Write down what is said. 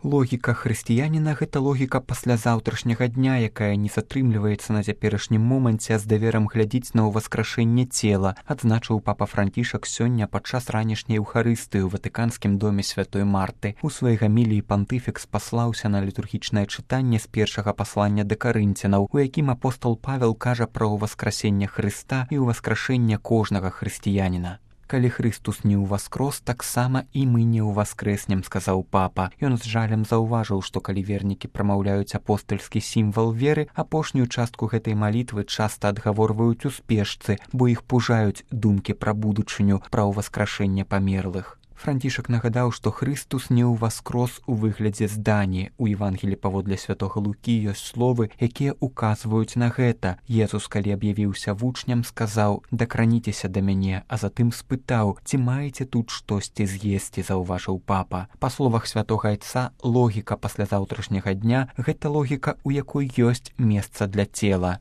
Логіка хрысціяніна – гэта логіка паслязаўтрашняга дня, якая не затрымліваецца на цяперашнім моманце, а з даверам глядзіць на ўваскрашэнне цела, адзначыў папа Францішак сёння падчас ранішняй эўхарыстыі ў Ватыканскім доме святой Марты. У сваёй гаміліі пантыфікс паслаўся на літургічнае чытанне з першага паслання да карынцянаў, у якім апостол Павел кажа пра ўваскрасенне Хрыста і ўваскрашэнне кожнага хрысціяніна. «Калі Христус не ўваскрос, таксама і мы не ўваскрэснем», сказаў папа. Ён з жалем заўважыў, што калі вернікі прамаўляюць апостальскі сімвал веры, апошнюю частку гэтай малітвы часта адгаворваюць у спешцы, бо іх пужаюць думкі пра будучыню, пра ўваскрашэнне памерлых. Францішак нагадаў, што Христус не ўваскрос у выглядзе здані. У Евангелі паводле святога Лукі ёсць словы, якія указваюць на гэта. Езус, калі аб'явіўся вучням, сказаў: «Дакраніцеся да мяне», а затым спытаў: «Ці маеце тут штосьці з'есці», заўважыў папа. Па словах святога Айца, логіка паслязаўтрашняга дня – гэта логіка, у якой ёсць месца для цела.